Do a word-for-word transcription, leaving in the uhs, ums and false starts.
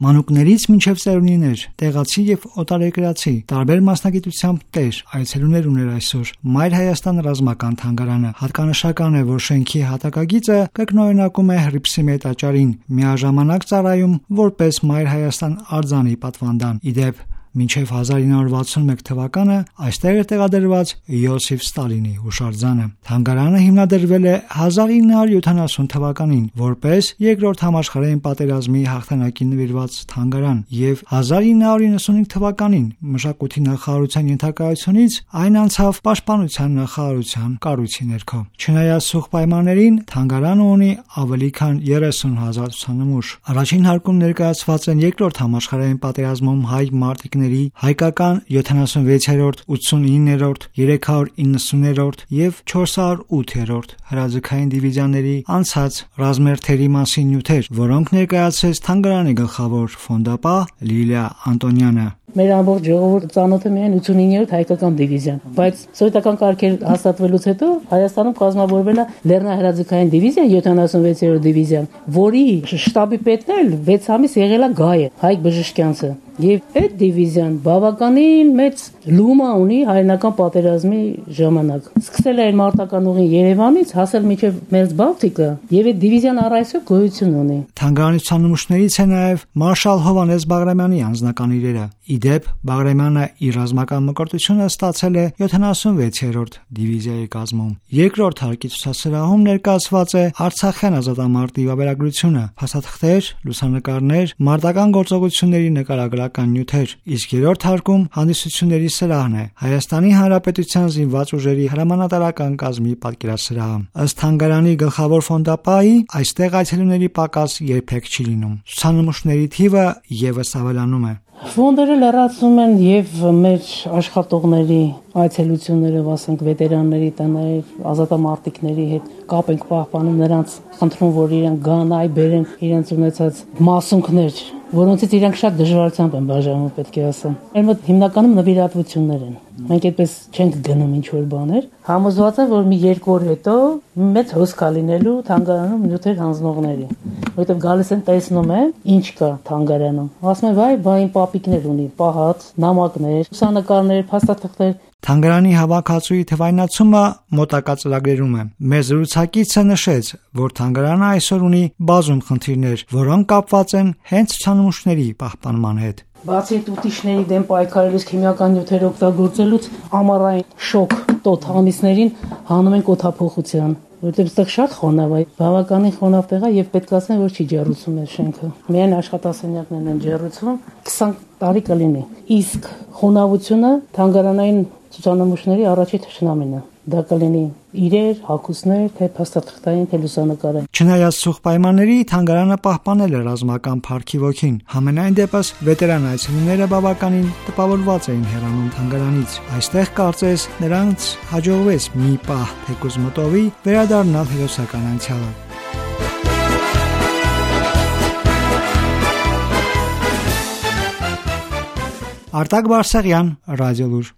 Մանուկներից մինչև ծերունիներ, տեղացի եւ օտարերկրացի, տարբեր մասնագիտությամբ տեր, այցելուներ ուներ այսօր Մայր Հայաստան ռազմական թանգարանը։ Հատկանշական է, որ շենքի հատակագիծը կրկնօրինակում է Հռիփսիմե տաճարին, միաժամանակ ծառայում որպես Մայր Հայաստան արձանի պատվանդան։ Իդեպ մինչև հազար ինը հարյուր վաթսունմեկ թվականը այստեղ էր տեղադրված Յոսիֆ Ստալինի հուշարձանը։ Թանգարանը հիմնադրվել է հազար ինը հարյուր յոթանասուն թվականին որպես երկրորդ համաշխարհային պատերազմի հաղթանակին նվիրված թանգարան եւ հազար ինը հարյուր իննսունհինգ թվականին մշակույթի նախարարության ենթակայությունից այն անցավ պաշտպանության նախարարության կառույցի ներքո։ Չնայած սուղ պայմաններին թանգարանը ունի ավելի քան երեսուն հազար ցուցանմուշ։ Առաջին հարկում ներկայացված են երկրորդ համաշխարհային պատերազմում հայ մարտիկների հայկական յոթանասունվեցերորդ, ութսունիններորդ, երեք հարյուր իննսուններորդ եւ չորս հարյուր ութերորդ հրաձգային դիվիզիաների անցած ռազմերթերի մասին նյութեր, որոնք ներկայացրեց թանգարանի գլխավոր ֆոնդապահ Լիլիա Անտոնյանը։ Մեր ամբողջ ժողովուրդը ծանոթ է միայն ութսունիններորդ հայկական դիվիզիան, բայց սովետական կարգեր հաստատվելուց հետո Հայաստանում կազմավորվել է Լեռնահրաձգային դիվիզիան, յոթանասունվեցերորդ դիվիզիան, որի շտաբի պետն էլ վեց ամիս եղել է Գայը, Հայկ Բժշկյանցը։ Եվ այդ դիվիզիան բավականին մեծ լումա ունի հայրենական պատերազմի ժամանակ։ Սկսել է մարտական ուղին Երևանից, հասել մինչև Մերձբալթիկը, եւ այդ դիվիզիան առ այսօր գոյություն ունի։ Թանգարանի ցուցանմուշներից է նաեւ մարշալ Հովհաննես Բաղրամյանի անձնական իրերը։ Իդեպ Բաղրամյանը իր ռազմական մկրտությունը ստացել է յոթանասունվեցերորդ դիվիզիայի կազմում։ Երկրորդ հարկի ցուցասրահում ներկայացված է Արցախյան ազատամարտի վավերագրությունը, փաստաթղթեր, լուսանկարներ, մարտական գործողությունների նկարագրական նյութեր, իսկ երրորդ հարկում հանդիսությունների սրահն է, Հայաստանի Հանրապետության զինված ուժերի հրամանատարական կազմի պատկերասրահը։ Ըստ թանգարանի գլխավոր ֆոնդապահի, այստեղ այցելուների պակաս երբեք չի լինում։ Ցուցանմուշների թիվը եւս ավելանում է։ Ֆոնդերը լրացում են եւ մեր աշխատողների այցելությունները, ասենք վետերանների տներ, ազատամարտիկների հետ կապ ենք պահպանում, նրանց խնդրում, որ իրենք գան, այ բերեն իրենց ունեցած մասունքներ, որոնցից իրենք շատ դժվարությամբ են բաժանում, պետք է ասեմ։ Մեր մոտ հիմնականում նվիրատվություններ են։ Մենք այդպես չենք գնում ինչ-որ բաներ։ Համոզված եմ, որ մի երկու օր հետո մեծ հոսք կա լինելու թանգարանում նյութեր հանձնողների, որովհետև գալիս են տեսնում են ինչ կա թանգարանում։ Ասում են, վայ, բա իմ պապիկներ ունի, պահած, նամակներ, լուսանկարներ, փաստաթղթեր։ Թանգարանի հավաքածուի թվայնացումը մոտակա ծրագրերում է։ Մեր զրուցակիցը նշեց, որ թանգարանը այսօր ունի բազում խնդիրներ, որոնք կապված են հենց ցուցանմուշների պահպանման հետ։ Բացի տուտիշների դեմ պայքարելուց քիմիական նյութեր օգտագործելուց ամառային շոկ տոթ ամիսներին հանում են կոթափոխության, որտեղ այստեղ շատ խոնավ է, բավականին խոնավ տեղ է եւ պետք է ասեմ, որ չի ջեռուցում է շենքը։ Միայն աշխատասենյակներն են ջեռուցում, քսան տարի կլինի։ Իսկ խոնավությունը թանգարանային ցուցանմուշների առաջի թշնամին է։ Դա կլինի իրեր, հագուստներ, թե փաստաթղթային, թե լուսանկարային։ Չնայած սուղ պայմանների, թանգարանը պահպանել է ռազմական փառքի ոգին։ Համենայն դեպս վետերան այցելուները բավականին տպավորված էին հեռանում թանգարանից։ Այստեղ կարծես նրանց հաջողվեց մի պահ թեկուզ մտովի վերադառնալ հերոսական անցյալը։ Արտակ Բարսեղյան, Ռադիոլուր։